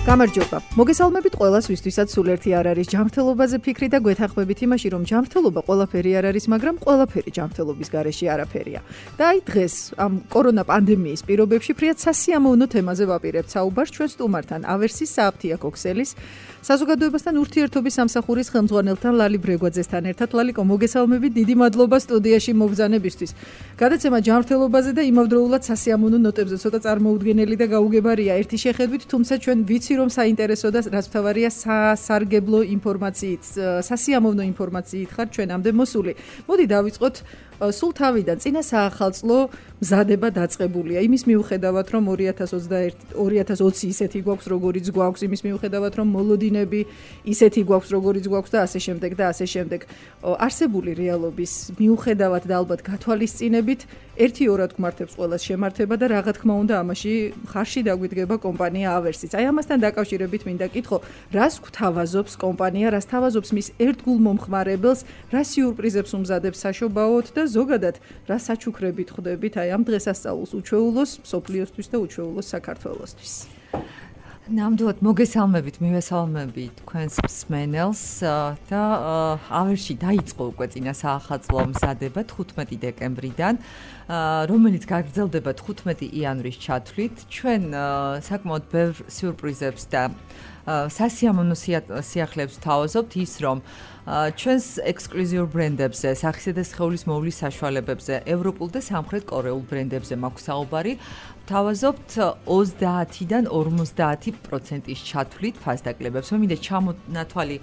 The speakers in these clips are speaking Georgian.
გამარჯობა. მოგესალმებით ყველას, ვისთვისაც სულ ერთი არ არის ჯანმრთელობაზე ფიქრი და გვეთანხმებით იმაში, რომ ჯანმრთელობა ყველაფერი არ არის, მაგრამ ყველაფერი ჯანმრთელობის გარეშე არაფერია. და აი დღეს ამ კორონა პანდემიის პირობებში ფრიად სასიამოვნო თემაზე ვაპირებთ საუბარს ჩვენ სტუმართან, ავერსის სააფთიაქო ქსელის საზოგადოებასთან ურთიერთობის სამსახურის ხელმძღვანელთან ლალი ბრეგვაძესთან ერთად. ლალიკო, მოგესალმებით, დიდი მადლობა სტუდიაში მობრძანებისთვის. გადაცემა ჯანმრთელობაზე და იმავდროულად სასიამოვნო ნოტებზე ცოტა წარმოუდგენელი და გაუგებარია ერთი შეხედვით, თუმცა ჩვენ ვიცი რომ საინტერესო და რაც მთავარია სასარგებლო ინფორმაციით, სასიამოვნო ინფორმაციით ხარ ჩვენამდე მოსული. მოდი დავიწყოთ სულ თავიდან. წინა საახალწლო მზადება დაწყებულია. იმის მიუხედავად, რომ 2020 ისეთი გვაქვს, როგორიც გვაქვს, იმის მიუხედავად, რომ მოლოდინები ისეთი გვაქვს, როგორიც გვაქვს და ასე შემდეგ და ასე შემდეგ. არსებული რეალობის მიუხედავად და ალბათ გათვალისწინებით, ერთი-ორად გვმართებს ყველას შემართება და რა თქმა უნდა, ამაში ხარში დაგვიდგება კომპანია ავერსიც. აი ამასთან დაკავშირებით მინდა კითხო, რას გვთავაზობს კომპანია, რას თავაზობს მის ერთგულ მომხმარებელს, რა სიურპრიზებს უმზადებს საშობაოდ და ზოგადად რა საჩუქრებით ხვდებით აი ამ დღესასწაულს უჩვეულოს მსოფლიოსთვის და უჩვეულოს საქართველოსთვის. ნამდვილად მოგესალმებით, მივესალმები თქვენს მსმენელს და ავერში დაიწყო უკვე წინა საახალწლო მზადება 15 დეკემბრიდან, რომელიც გაგრძელდება 15 იანვრის ჩათვლით. ჩვენ საკმაოდ ბევრ სიურპრიზებს და სასიამოვნო სიახლეებს ვთავაზობთ ის, რომ ჩვენს ექსკლუზიურ ბრენდებზე, სახისა და სხეულის მოვლის საშუალებებზე, ევროპულ და სამხრეთ კორეულ ბრენდებზე მაქვს საუბარი. ვთავაზობთ 30-დან 50%-ის ჩათვლით ფასდაკლებებს. მინდა ჩამონათვალი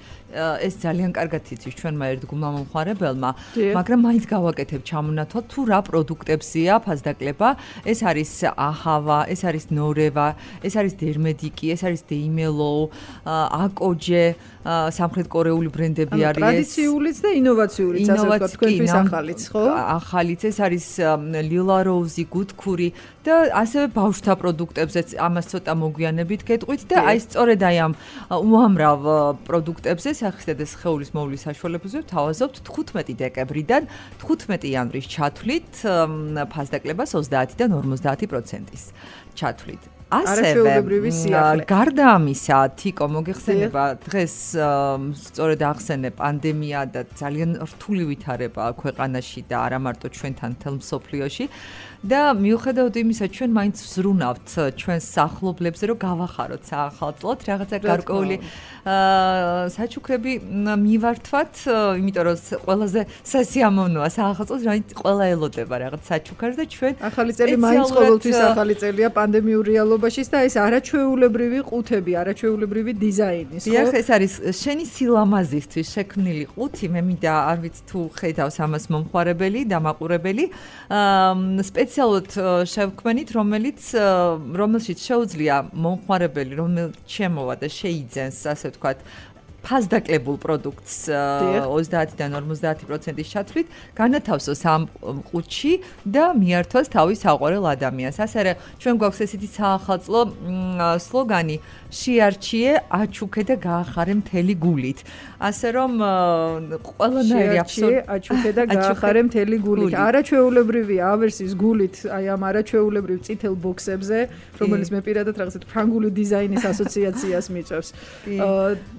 ეს ძალიან კარგად იცის ჩვენმა ერთგულმა მომხმარებელმა, მაგრამ მაინც გავაკეთებ ჩამონათვალ თუ რა პროდუქტებზეა ფასდაკლება. ეს არის აჰავა, ეს არის ნორევა, ეს არის დერმედიკი, ეს არის დეიმელო, აკოჯე, სამხრეთ კორეული ბრენდები არის. ტრადიციულიც და ინოვაციურიც, ასე ვთქვათ, თქვენთვის ახალიც, ხო? ახალიც, ეს არის ლილა როუზი, გუდქური და ასევე ბავშვთა პროდუქტებზეც ამას ცოტა მოგვიანებით გეტყვით და აი სწორედ აი ამ უამრავ პროდუქტებზე სახისა და სხეულის მოვლის საშუალებებზე ვთავაზობთ 15 დეკემბრიდან 15 იანვრის ჩათვლით ფასდაკლებას 30-დან 50%-ის ჩათვლით. ასევე გარდა ამისა, თიკო მოგეხსენება დღეს სწორედ ახსენე პანდემია და ძალიან რთული ვითარება ქვეყანაში და არა მარტო ჩვენთან მთელ მსოფლიოში და მიუხედავად იმისა, ჩვენ მაინც ვზრუნავთ ჩვენს სახლობლებზე, რომ გავახაროთ საახალწლოდ რაღაცა გარკვეული საჩუქრები მივართვათ, იმიტომ რომ ყველაზე სასიამოვნოა საახალწლოდ, რაიც ყველა ელოდება რაღაც საჩუქარს და ჩვენ ახალი წელი მაინც ყოველთვის ახალი წელია პანდემიურ რეალობაში და ეს არაჩვეულებრივი ყუთები, არაჩვეულებრივი დიზაინის, ხო? დიახ, ეს არის შენი სილამაზისთვის შექმნილი ყუთი, მე მინდა არ ვიცი თუ ხედავს ამას მომხმარებელი და მაყურებელი, სპეციალურად შევქმნით, რომელშიც შეუძლია მომხმარებელი, რომელიც შემოვა და შეიძენს, ასე ვთქვათ, ფასდაკლებულ პროდუქტს 30-დან 50%-ის ჩათვლით, განათავსოს ამ ყუთში და მიართვას თავის საყვარელ ადამიანს. ასე ჩვენ გვაქვს ესეთი საახალწლო სლოგანი შეარჩიე, აჩუქე და გაახარე მთელი გულით. ასე რომ ყველანაირი აჩუქე და გაახარე მთელი გულით. არაჩვეულებრივი ავერსის გულით, აი ამ არაჩვეულებრივ წითელ ბოქსებზე, რომელიც მე პირადად რაღაცა ფრანგული დიზაინის ასოციაციას მიწევს.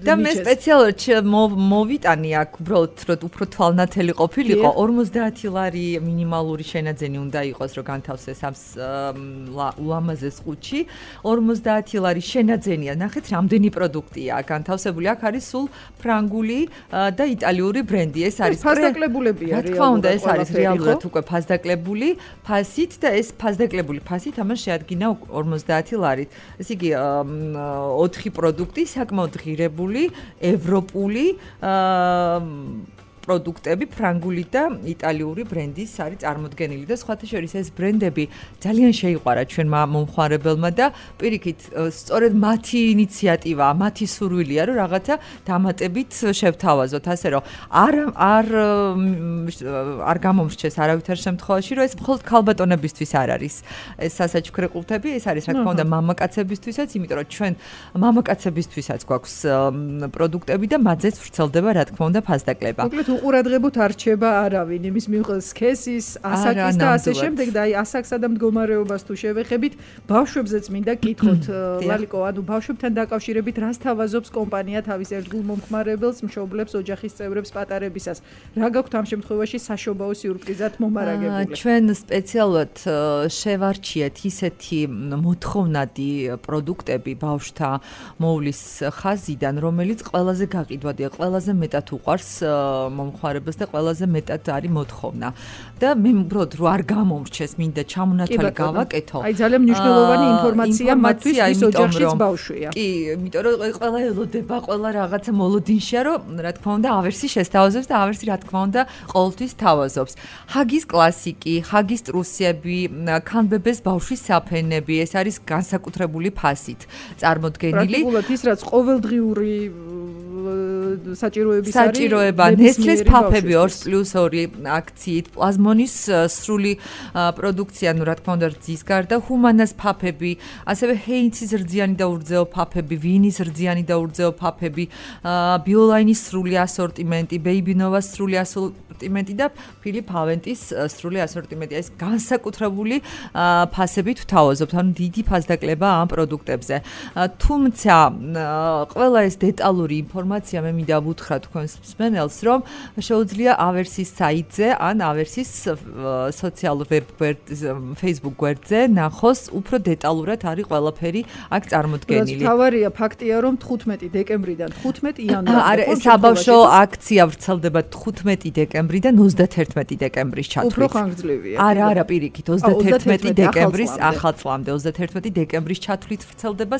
და მე სპეციალურად მოვიტანი აქ უბრალოდ რომ უფრო თვალნათელი ყოფილიყო 50 ლარი მინიმალური შენაძენი უნდა იყოს რომ განთავსეს ამ ულამაზეს ყუთში 50 ლარი შენაძენია ნახეთ რამდენი პროდუქტია განთავსებული აქ არის სულ ფრანგული და იტალიური ბრენდი ეს არის ფასდაკლებულებია რა თქმა უნდა ეს არის რეალურად უკვე ფასდაკლებული ფასით და ეს ფასდაკლებული ფასით ამას შეადგინა 50 ლარით ესე იგი 4 პროდუქტი საკმაოდ ღირებული ევროპული პროდუქტები ფრანგული და იტალიური ბრენდის არის წარმოდგენილი და სხვათა შორის ეს ბრენდები ძალიან შეიყვარა ჩვენმა მომხმარებელმა და პირიქით სწორედ მათი ინიციატივა, მათი სურვილია რომ რაღაცა დამატებით შევთავაზოთ, ასე რომ არ გამომრჩეს არავითარ შემთხვევაში, რომ ეს მხოლოდ ქალბატონებისთვის არ არის. ეს სასაჩუქრე ყუთები, ეს არის რა თქმა უნდა მამაკაცებისთვისაც, იმიტომ რომ ჩვენ მამაკაცებისთვისაც გვაქვს პროდუქტები და მათზეც ვრცელდება რა თქმა უნდა ფასდაკლება. უყურადღებოთ არ რჩება არავინ, იმის მიუხედავად სქესის, ასაკის და ასე შემდეგ და აი ასაკსა და მდგომარეობას თუ შევეხებით, ბავშვებზეც მინდა კითხოთ, ლალიკო, ანუ ბავშვებთან დაკავშირებით რას თავაზობს კომპანია თავის ერთგულ მომხმარებელს, მშობლებს, ოჯახის წევრებს პატარებისას. რა გაქვთ ამ შემთხვევაში საშობაო სიურპრიზად მომარაგებული? ჩვენ სპეციალურად შევარჩიეთ ისეთი მოთხოვნადი პროდუქტები ბავშვთა მოვლის ხაზიდან, რომელიც ყველაზე გაყიდვადია, ყველაზე მეტად უყვარს მომხმარებელს და ყველაზე მეტად არის მოთხოვნა. და მე უბრალოდ რო არ გამომრჩეს, მინდა ჩამონათვალი გავაკეთო. აი ძალიან მნიშვნელოვანი ინფორმაცია მათთვის, ვის ოჯახშიც ბავშვია. კი, იმიტომ რომ ყველა ელოდება, ყველა რაღაცა მოლოდინშია, რომ რა თქმა უნდა ავერსი შესთავაზობს და ავერსი რა თქმა უნდა ყოველთვის თავაზობს. ჰაგის კლასიკი, ჰაგის ტრუსები, ქანბებეს ბავშვის საფენები, ეს არის განსაკუთრებული ფასით წარმოდგენილი. პრაქტიკულად ის რაც ყოველდღიური საჭიროების არის. საჭიროება ნესლეს ფაფები 2+2 აქციით, პლაზმონის სრული პროდუქცია, ну, რა თქმა უნდა, რძის გარდა, ჰუმანას ფაფები, ასევე ჰეინცის რძიანი და ურძეო ფაფები, ვინის რძიანი და ურძეო ფაფები, ბიოლაინის სრული ასორტიმენტი, ბეიბინოვას სრული ასორტიმენტი და ფილიპ ავენტის სრული ასორტიმენტი. ეს განსაკუთრებული ფასებით ვთავაზობთ, ანუ დიდი ფასდაკლება ამ პროდუქტებზე. თუმცა ყველა ეს დეტალური ინფორმაცია მე მინდა ვუთხრა თქვენს მსმენელს, რომ შეუძლია ავერსის საიტზე ან ავერსის სოციალურ Facebook გვერდზე ნახოს უფრო დეტალურად არის ყველაფერი აქ წარმოდგენილი. თავარია ფაქტია, რომ 15 დეკემბრიდან 15 იანვრამდე საბავშვო აქცია ვრცელდება 15 დეკემბრიდან 31 დეკემბრის ჩათვლით. უფრო ხანგრძლივია. არა, პირიქით 31 დეკემბრის ახალ წლამდე 31 დეკემბრის ჩათვლით ვრცელდება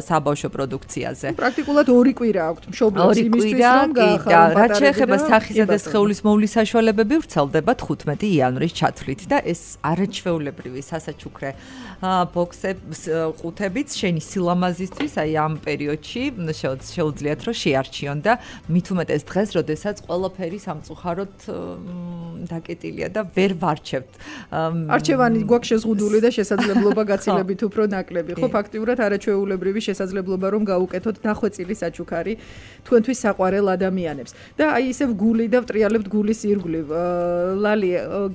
საბავშვო პროდუქციაზე. პრაქტიკულად 2 კვირა აქვთ მშობლებს იმისთვის, რომ გაახარონ რაც შეეხება სახისა და სხეულის მოვლის საშუალებები ვრცელდება 15 იანვრის ჩათვლით და ეს არაჩვეულებრივი სასაჩუქრე ბოქსების ყუთებიც შენი სილამაზისთვის აი ამ პერიოდში შეუძლიათ რომ შეარჩიონ და მით უმეტეს დღეს, როდესაც ყველაფერი სამწუხაროდ დაკეტილია და ვერ ვარჩევთ. არჩევანი გვაქვს შეზღუდული და შესაძლებლობა გაცილებით უფრო ნაკლები. ხო, ფაქტიურად არაჩვეულებრივი შესაძლებლობა რომ გაუკეთოთ დახვეწილი საჩუქარი თქვენთვის საყვარელ ადამიანებს. და აი ისევ გული და ვტრიალებთ გულის ირგვლივ. ლალი,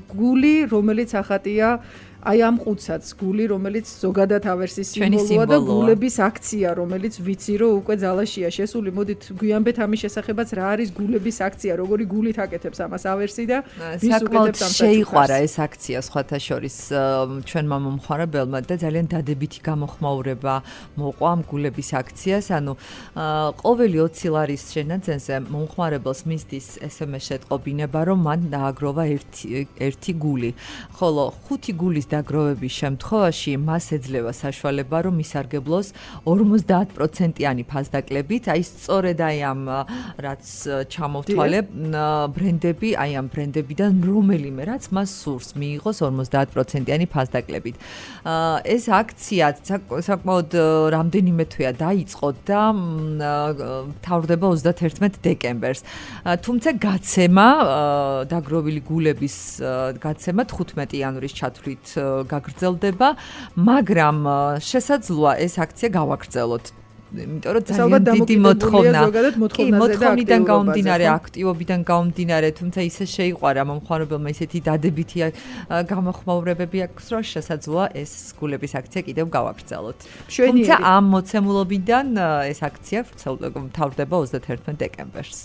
გული, რომელიც ახატია აი ამ ყუთსაც, გული, რომელიც ზოგადად ავერსის სიმბოლოა და გულების აქცია, რომელიც ვიცი რომ უკვე ძალაშია შესული. მოდით გვიანბეთ ამის შესახებაც, რა არის გულების აქცია, როგორი გულით აკეთებს ამას ავერსი და ვის უკეთებს ამ შეიყვარა ეს აქცია სხვათა შორის ჩვენმა მომხმარებელმა და ძალიან დადებითი გამოხმაურება მოყვა ამ გულების აქციას. ანუ ყოველი 20 ლარის შენაძენზე მომხმარებელს მისდის SMS შეტყობინება, რომ მან დააგროვა ერთი გული, ხოლო 5 გულის დაგროვების შემთხვევაში მას ეძლევა საშუალება, რომ ისარგებლოს 50%-იანი ფასდაკლებით, აი სწორედ აი ამ რაც ჩამოვთვალე ბრენდები, აი ამ ბრენდებიდან რომელიმე რაც მას სურს მიიღოს 50%-იანი ფასდაკლებით. ეს აქცია საკმაოდ რამდენიმე თვეა დაიწყო და მთავრდება 31 დეკემბერს. თუმცა გაცემა დაგროვილი გულების გაცემა 15 იანვრის ჩათვლით გაგრძელდება, მაგრამ შესაძლოა ეს აქცია გავაგრძელოთ. იმიტომ რომ ძალიან დიდი მოთხოვნა. მოთხოვნიდან გამომდინარე, აქტივობიდან გამომდინარე, თუმცა ისე შეიყვარა მომხმარებელმა ისეთი დადებითი გამოხმაურებები აქვს, რომ შესაძლოა ეს გულების აქცია კიდევ გავაგრძელოთ. თუმცა ამ მოცემულობიდან ეს აქცია მთავრდება 31 დეკემბერს.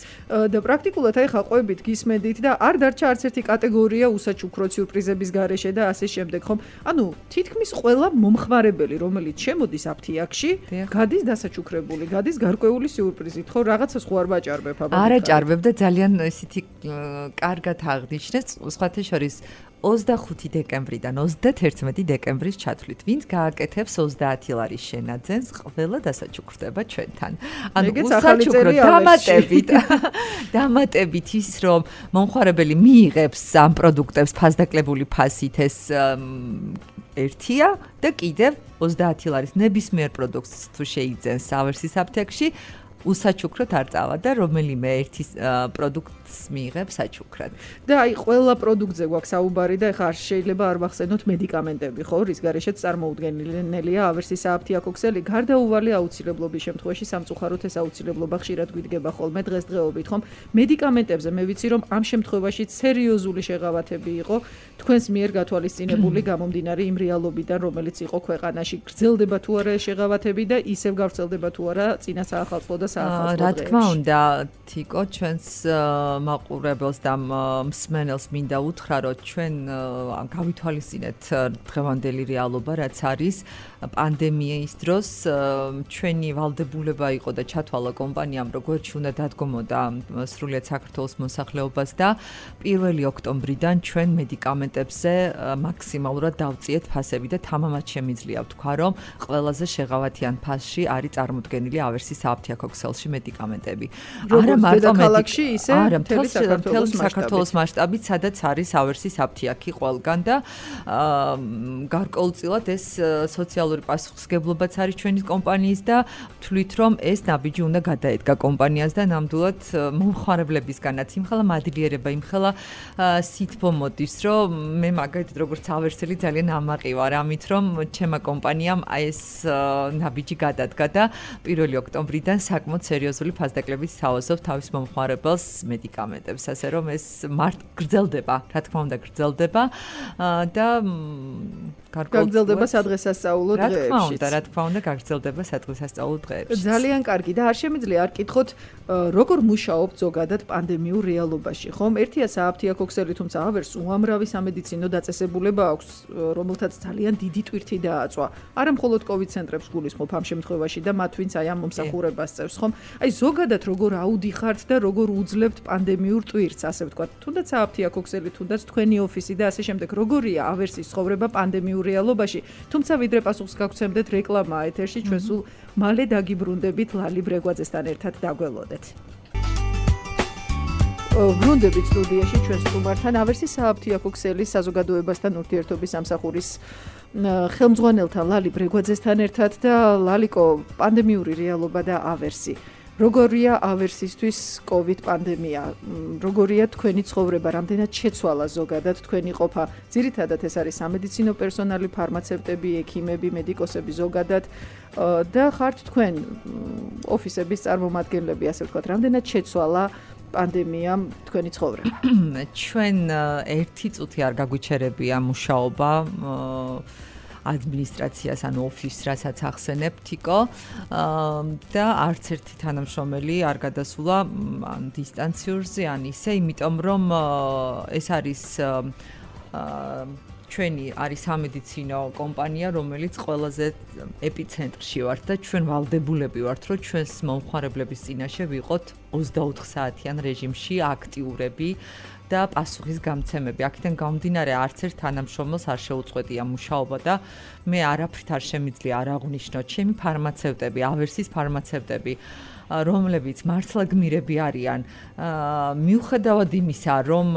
და პრაქტიკულად აი ხა ყვებით გისმენდით და არ დარჩა არც ერთი კატეგორია უსაჩუქრო სიურპრიზების გარეშე და ასე შემდეგ, ხომ? ანუ თითქმის ყველა მომხმარებელი, რომელიც შემოდის აფთიაქში, გადის დასაჩუქრებული, გადის გარკვეული სიურპრიზით, ხო, რაღაცას ხო არ ვაჭარბებ აბა. არ აჭარბებ და ძალიან ისეთი კარგად აღნიშნეს, სხვათა შორის 25 დეკემბრიდან 31 დეკემბრის ჩათვლით. ვინც გააკეთებს 30 ლარის შენაძენს, ყველა დასაჩუქრდება ჩვენთან. ანუ უსაჩუქრო დამატებით ის, რომ მომხმარებელი მიიღებს ამ პროდუქტებს ფასდაკლებული ფასით, ეს ერთია და კიდევ 30 ლარის ნებისმიერ პროდუქტს თუ შეიძენს ავერსის აფთიაქში უსაჩუქროდ არ წავა და რომელიმე ერთი პროდუქტს მიიღებს საჩუქრად. და აი ყველა პროდუქტზე გვაქვს საუბარი და ეხლა არ შეიძლება არ ვახსენოთ მედიკამენტები, ხო, რის გარეშეც წარმოუდგენელია ავერსის აფთიაქოქსელი, გარდაუვალი აუცილებლობის შემთხვევაში სამწუხაროდ ეს აუცილებლობა ხშირად გვიდგება ხოლმე დღესდღეობით, ხომ? მედიკამენტებზე მე ვიცი რომ ამ შემთხვევაში სერიოზული შეღავათები იყო თქვენს მიერ გათვალისწინებული გამომდინარე იმ რეალობიდან, რომელიც იყო ქვეყანაში. გრძელდება თუ არა ეს შეღავათები და ისევ გავრცელდება თუ არა წინა საახალწლო და საახალწლო დღეებში. რა თქმა უნდა, თიკო, ჩვენს მაყურებელს და მსმენელს მინდა უთხრა, რომ ჩვენ გავითვალისწინეთ დღევანდელი რეალობა, რაც არის პანდემიის დროს. ჩვენი ვალდებულება იყო და ჩათვალა კომპანიამ, რომ გვერდში უნდა დადგომოდა სრულიად საქართველოს მოსახლეობას და 1 ოქტომბრიდან ჩვენ მედიკამენტებზე მაქსიმალურად დავწიეთ ფასები და თამამად შემიძლია ვთქვა, რომ ყველაზე შეღავათიან ფასში არის წარმოდგენილი ავერსის აფთიაქოქსელში მედიკამენტები. არა მარტო ქალაქში, ისე მთელი საქართველოს მასშტაბით, სადაც არის ავერსის აფთიაქი ყველგან და გარკვეულწილად ეს სოციალური პასუხისმგებლობაც არის ჩვენი კომპანიის და ვთვლით, რომ ეს ნაბიჯი უნდა გადაედგა კომპანიას და ნამდვილად მომხმარებლებისგანაც იმხელა მადლიერება, იმხელა სითბო მოდის, რომ მე მაგალითად როგორც ავერსელი ძალიან ამაყი ვარ ამით, რომ ჩემმა კომპანიამ ეს ნაბიჯი გადადგა და 1 ოქტომბრიდან საკმაოდ სერიოზული ფასდაკლებით სთავაზობ თავის მომხმარებელს მედიკამენტებს, ასე რომ ეს გრძელდება, რა თქმა უნდა გრძელდება და გაგრძელდება სადღესასწაულო დღეებში. რა თქმა უნდა გაგრძელდება სადღესასწაულო დღეებში. ძალიან კარგი და არ შემიძლია არ კითხოთ როგორ მუშაობთ ზოგადად პანდემიურ რეალობაში, ხომ? ერთია სააფთიაქოქსელი, თუმცა ავერს უამრავი სამედიცინო დაწესებულება აქვს, რომელთაც ძალიან დიდი ტვირთი დააწვა. არა მხოლოდ COVID ცენტრებს გულისხმობ ამ შემთხვევაში და მათ ვინც აი ამ მომსახურებას წევს, ხომ? აი ზოგადად როგორ აუდიხართ და როგორ უძლებთ პანდემიურ ტვირთს, ასე ვთქვათ, თუნდაც სააფთიაქოქსელი, თუნდაც თქვენი ოფისი და ასე შემდეგ, როგორია ავერსის ცხოვრება პანდემიურ რეალობაში, თუმცა ვიდრე პასუხს გაგცემდეთ რეკლამა ეთერში, ჩვენ სულ მალე დაგიბრუნდებით ლალი ბრეგვაძესთან ერთად დაგველოდეთ. ბრუნდებით სტუდიაში ჩვენ სტუმართან ავერსის სააფთიაქოქსელის საზოგადოებასთან ურთიერთობის სამსახურის ხელმძღვანელთან ლალი ბრეგვაძესთან ერთად და ლალიკო, პანდემიური რეალობა და ავერსი. როგორია ავერსისთვის COVID პანდემია? როგორია თქვენი ცხოვრება? რამდენად შეცვალა ზოგადად თქვენი ყოფა? ძირითადად ეს არის სამედიცინო პერსონალი, ფარმაცევტები, ექიმები, მედიკოსები ზოგადად და ხართ თქვენ ოფისების წარმომადგენლები, ასე ვთქვათ, რამდენად შეცვალა პანდემიამ თქვენი ცხოვრება? ჩვენ ერთი წუთი არ გაგვიჩერებია მუშაობა ადმინისტრაციას ან ოფისს, რასაც ახსენებ თიკო და არც ერთი თანამშრომელი არ გადასულა ან დისტანციურზე ან ისე, იმიტომ რომ ეს არის ჩვენი არის სამედიცინო კომპანია, რომელიც ყველაზე ეპიცენტრში ვართ და ჩვენ ვალდებულები ვართ, რომ ჩვენს მომხმარებლების წინაშე ვიყოთ 24 საათიან რეჟიმში აქტიურები და პასუხის გამცემები. აქედან გამომდინარე არც ერთ თანამშრომელს არ შეუწყვეტია მუშაობა და მე არაფრით არ შემიძლია არ აღვნიშნოთ ჩემი ფარმაცევტები, ავერსის ფარმაცევტები, რომლებიც მართლა გმირები არიან, მიუხედავად იმისა, რომ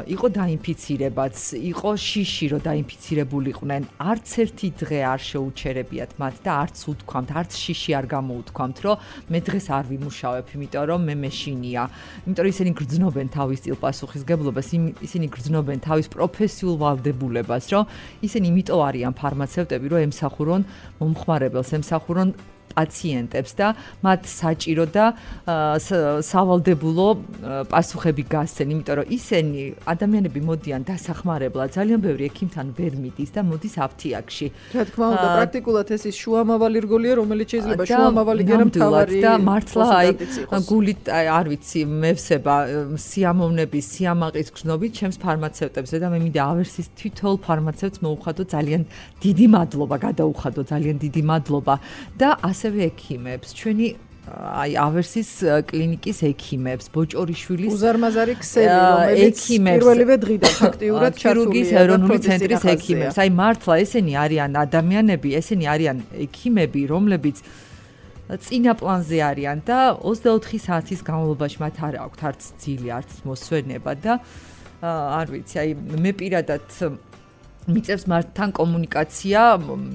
იყო დაინფიცირებაც, იყო შიში, რომ დაინფიცირებულიყვნენ, არც ერთი დღე არ შეუჩერებიათ მათ და არც უთქვამთ, არც შიში არ გამოუთქვამთ, რომ მე დღეს არ ვიმუშავებ, იმიტომ რომ მე მეშინია. იმიტომ რომ ისინი გრძნობენ თავის წილ პასუხისმგებლობას, ისინი გრძნობენ თავის პროფესიულ ვალდებულებას, რომ ისინი იმიტომ არიან ფარმაცევტები, რომ ემსახურონ მომხმარებელს, ემსახურონ პაციენტებს და მათ საჭირო და სავალდებულო პასუხები გასცენ, იმიტომ რომ ისინი ადამიანები მოდიან დასახმარებლად, ძალიან ბევრი ექიმთან ვერ მიდის და მოდის აფთიაქში. რა თქმა უნდა, პრაქტიკულად ეს ის შუამავალი რგოლია, რომელიც შეიძლება შუამავალი გერა მთავარი და მართლა აი გულით არ ვიცი, მევსება სიამოვნების, სიამაყის გრძნობით ჩემს ფარმაცევტებზე და მე მინდა ავერსის თითოეულ ფარმაცევტს მოუხადო ძალიან დიდი მადლობა, გადაუხადო ძალიან დიდი მადლობა და ასევე ექიმებს, ჩვენი აი ავერსის კლინიკის ექიმებს, ბოჭორიშვილის უზარმაზარი ქსელი, რომელიც პირველივე დღიდან ფაქტიურად ქირურგიის ეროვნული ცენტრის ექიმებს. აი მართლა ესენი არიან ადამიანები, ესენი არიან ექიმები, რომლებიც წინა პლანზე არიან და 24 საათის განმავლობაში მათ არ აქვთ არც ძილი, არც მოსვენება და არ ვიცი, აი მე პირადად მიწევს მართთან კომუნიკაცია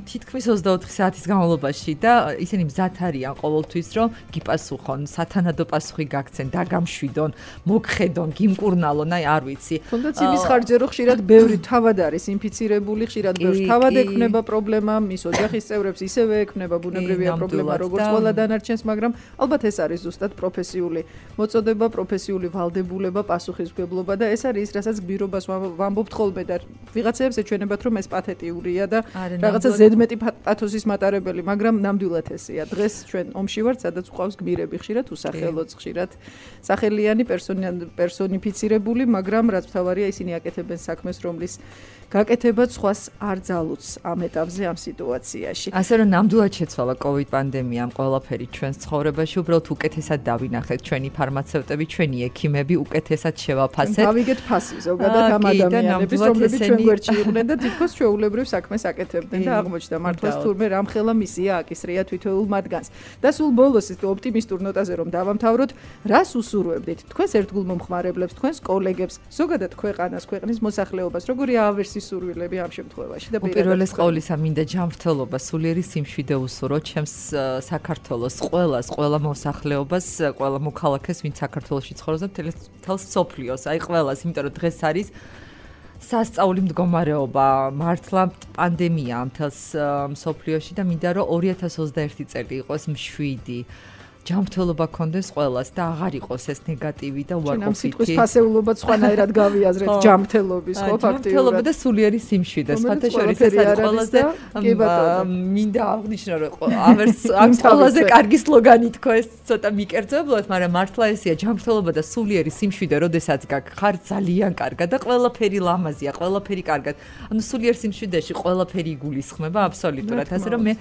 თითქმის 24 საათის განმავლობაში და ისინი მზად არიან ყოველთვის რომ გიპასუხონ, სათანადო პასუხი გაგცენ, დაგამშვიდონ, მოგხედონ, გიმკურნალონ, აი არ ვიცი. თუნდაც იმის ხარჯზე რომ ხშირად ბევრი თავად არის ინფიცირებული, ხშირად ბევრს თავად ექმნება პრობლემა, მის ოჯახის წევრებს ისევე ექმნება ბუნებრივია პრობლემა როგორც ყველა დანარჩენს, მაგრამ ალბათ ეს არის ზუსტად პროფესიული მოწოდება, პროფესიული ვალდებულება, პასუხისმგებლობა და ეს არის ის, რასაც გმირობას ვამბობთ ხოლმე და ვიღაცებს ეჩვენებათ რომ ეს პათეტიურია და რაღაცა ზედმეტი პათოსის მატარებელი, მაგრამ ნამდვილად ესეა. დღეს ჩვენ ომში ვართ, სადაც ყავს გმირები ხშირად უსახელოც, ხშირად სახელიანი პერსონიფიცირებული, მაგრამ რაც მთავარია ისინი აკეთებენ საქმეს, რომლის გაკეთებაც სხვას არ ძალუც ამ ეტაპზე, ამ სიტუაციაში. ასე რომ ნამდვილად შეცვალა COVID პანდემიამ ყველაფერი ჩვენს ცხოვრებაში, უბრალოდ უკეთესად დავინახეთ ჩვენი ფარმაცევტები, ჩვენი ექიმები, უკეთესად შევაფასეთ. დავიგეთ ფასი ზოგადად ამ ადამიანების, რომლებიც ჩვენ გვერდში იყვნენ და თითქოს ჩვეულებრივ საქმეს აკეთებდნენ და აღმოჩნდა მართლაც თურმე რამხელა მისია აკისრია თითოეულ მათგანს. და სულ ბოლოს ის ოპტიმისტურ ნოტაზე რომ დავამთავროთ, რას უსურვებდით თქვენს ერთგულ მომხმარებლებს, თქვენს კოლეგებს, ზოგადად ქვეყანას, ქვეყნის მოსახლეობას, როგორი ავერსი სურვილები ამ შემთხვევაში და უპირველეს ყოვლისა მინდა ჯანმრთელობა, სულიერი სიმშვიდე უსურვო ჩემს საქართველოს ყველას, ყველა მოსახლეობას, ყველა მოქალაქეს, ვინც საქართველოში ცხოვრობს და მთელს სოფლიოს, აი ყველას, იმიტომ რომ დღეს არის სასწაული მდგომარეობა, მართლა პანდემია მთელს სოფლიოში და მინდა რომ 2021 წელი იყოს მშვიდი. ჯანმრთელობა გქონდეს ყველას და აღარ იყოს ეს ნეგატივი და უარყოფითი. ამ სიტყვის ფასეულობა სხვანაირად გავიაზრეთ ჯანმრთელობის, ხო, ფაქტიურად. ჯანმრთელობა და სულიერი სიმშვიდე. სხვათა შორის ეს არის ყველაზე მინდა აღნიშნო რომ ამ ყველაზე კარგი სლოგანი თქო ეს ცოტა მიკერძებლად, მაგრამ მართლა ესეა ჯანმრთელობა და სულიერი სიმშვიდე, როდესაც გაგხარ ძალიან კარგად და ყველაფერი ლამაზია, ყველაფერი კარგად. ანუ სულიერ სიმშვიდეში ყველაფერი იგულისხმება აბსოლუტურად. ასე რომ მე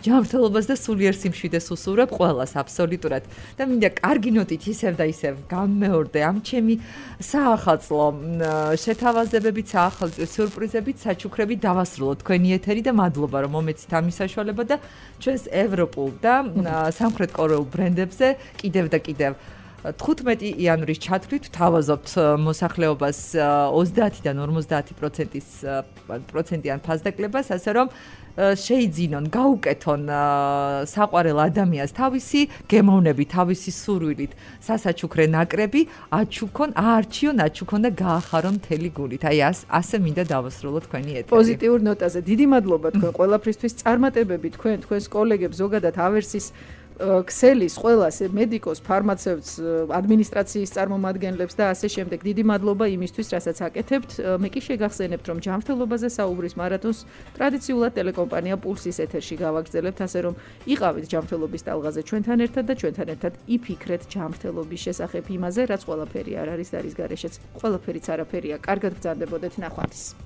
ჯანმრთელობას და სულიერ სიმშვიდეს უსურვებ ყველას აბსოლუტურად და მინდა კარგი ნოტით ისევ და ისევ გამმეორდე ამ ჩემი საახალწლო შეთავაზებებით, საახალწლო სიურპრიზებით, საჩუქრებით დავასრულოთ თქვენი ეთერი და მადლობა რომ მომეცით ამის საშუალება და ჩვენს ევროპულ და სამხრეთ კორეულ ბრენდებზე კიდევ და კიდევ 15 იანვრის ჩათვლით თავაზობთ მოსახლეობას 30-დან 50%-იან ფასდაკლებას, ასე რომ შეიძინონ, გაუკეთონ საყვარელ ადამიანს თავისი გემოვნები, თავისი სურვილით, სასაჩუქრე ნაკრები, აარჩიონ და გაახარონ მთელი გულით. აი ასე მინდა დავასრულო თქვენი ეთერი. პოზიტიურ ნოტაზე. დიდი მადლობა თქვენ ყველაფრისთვის, წარმატებები თქვენს კოლეგებს, ზოგადად ავერსის ქსელის ყველას მედიკოს, ფარმაცევტს, ადმინისტრაციის წარმომადგენლებს და ასე შემდეგ. დიდი მადლობა იმისთვის, რასაც აკეთებთ. მე კი შეგახსენებთ, რომ ჯანმრთელობაზე საუბრის მარათონს ტრადიციულად ტელეკომპანია პულსის ეთერში გავაგრძელებთ, ასე რომ იყავით ჯანმრთელობის ტალღაზე ჩვენთან ერთად და ჩვენთან ერთად იფიქრეთ ჯანმრთელობის შესახებ იმაზე, რაც ყველაფერი არ არის და არის გარეშეც. ყველაფერიც არაფერია. კარგად გრძანდებოდეთ, ნახვამდის.